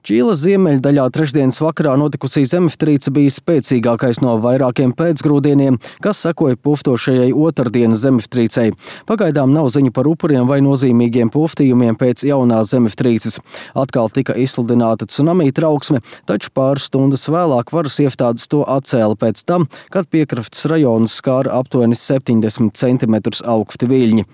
Čīles ziemeļdaļā trešdienas vakarā notikusī zemestrīce bija spēcīgākais no vairākiem pēcgrūdieniem, kas sekoja puftošajai otrdienas zemestrīcei. Pagaidām nav ziņu par upuriem vai nozīmīgiem puftījumiem pēc jaunās zemestrīces. Atkal tika izsludināta tsunami trauksme, taču pāris stundas vēlāk varas iestādes to atcēla pēc tam, kad piekrastes rajonus skāra aptuveni 70 cm augsti viļņi.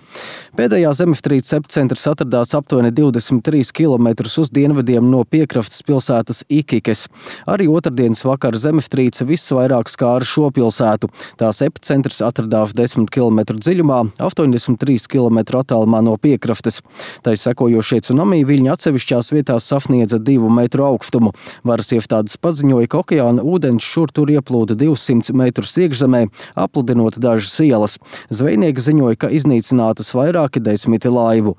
Pēdējā zemestrīces epicentrs atradās aptuveni 23 km uz dienvidiem no piekrastes pilsētas Ikikes. Arī otrdienas vakara zemestrīce visvairāk skāra šo pilsētu. Tās epicentrs atradās 10 km dziļumā, 83 km attālumā no piekrastes. Tai sekojošie tsunami viļņi atsevišķās vietās sasniedza 2 metru augstumu. Varas iestādes paziņoja, ka okeāna ūdens šur tur ieplūda 200 metrus iekšzemē, apludinot dažas ielas. Zvejnieki ziņoja, ka iznīcinātas vairāki 10 laivu.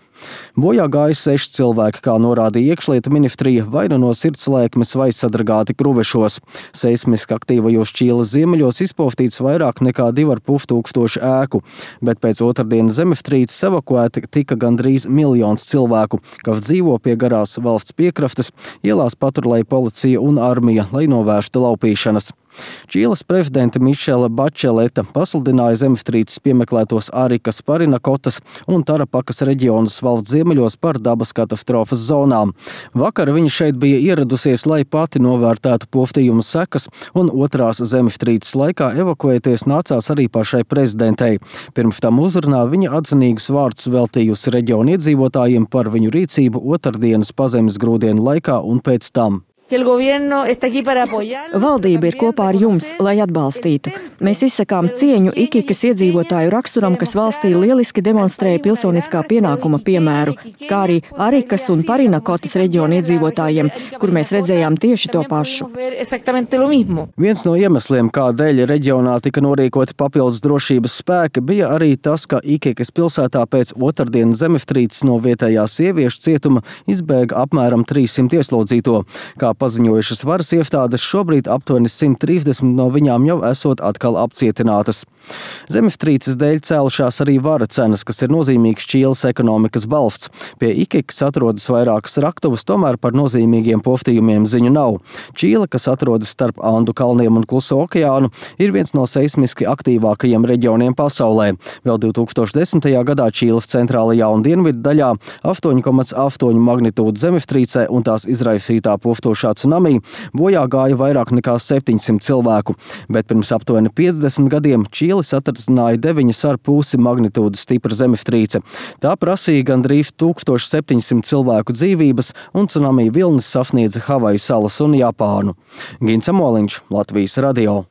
Bojā gāja 6 cilvēki, kā norādīja iekšlietu ministrija, vai no sirdslēkmes vai sadragāti kruvešos. Seismiski aktīvajos Čīles ziemeļos izpostīts vairāk nekā 2500 ēku, bet pēc otrdienas zemestrīces evakuēti tika gandrīz 1 miljons cilvēku, kas dzīvo pie garās valsts piekrastes, ielās patrulēja policija un armija, lai novērstu laupīšanas. Čīles prezidente Mišela Bačeleta pasludināja zemestrīces piemeklētos Arikas, Parinakotas un Tarapakas reģionus valsts ziemeļos par dabas katastrofas zonām. Vakar viņa šeit bija ieradusies, lai pati novērtētu postījumu sekas, un otrās zemestrīces laikā evakuēties nācās arī pašai prezidentei. Pirms tam uzrunā viņa atzinīgus vārdus veltījusi reģionu iedzīvotājiem par viņu rīcību otrdienas pazemes grūdienu laikā un pēc tam. Valdība ir kopā ar jums, lai atbalstītu. Mēs izsakām cieņu Ikikas iedzīvotāju raksturam, kas valstī lieliski demonstrēja pilsoniskā pienākuma piemēru, kā arī Arikas un Parinakotas reģionu iedzīvotājiem, kur mēs redzējām tieši to pašu. Viens no iemesliem, kādēļ reģionā tika norīkoti papildus drošības spēki, bija arī tas, ka Ikikas pilsētā pēc otrdienas zemestrīces no vietējā sieviešu cietuma izbēga apmēram 300 ieslodzīto. Kā paziņojušas varas iestādes, šobrīd aptuveni 130 no viņām jau esot atkal apcietinātas. Zemestrīces dēļ cēlušās arī vara cenas, kas ir nozīmīgs Čīles ekonomikas balsts. Pie Ikikas atrodas vairākas raktuvas, tomēr par nozīmīgiem postījumiem ziņu nav. Čīle, kas atrodas starp Andu kalniem un Kluso okeānu, ir viens no seismiski aktīvākajiem reģioniem pasaulē. Vēl 2010. gadā Čīles centrālajā un dienvidu daļā 8,8 magnitūda zemestrīcē un tās izraisītā postošā tsunami bojā gāja vairāk nekā 700 cilvēku, bet pirms aptuveni 50 gadiem Čīli satricināja 9,5 magnitūdas stipra zemestrīce. Tā prasīja gandrīz 1700 cilvēku dzīvības, un tsunami vilnis sasniedza Havaju salas un Japānu. Gins Amoliņš, Latvijas radio.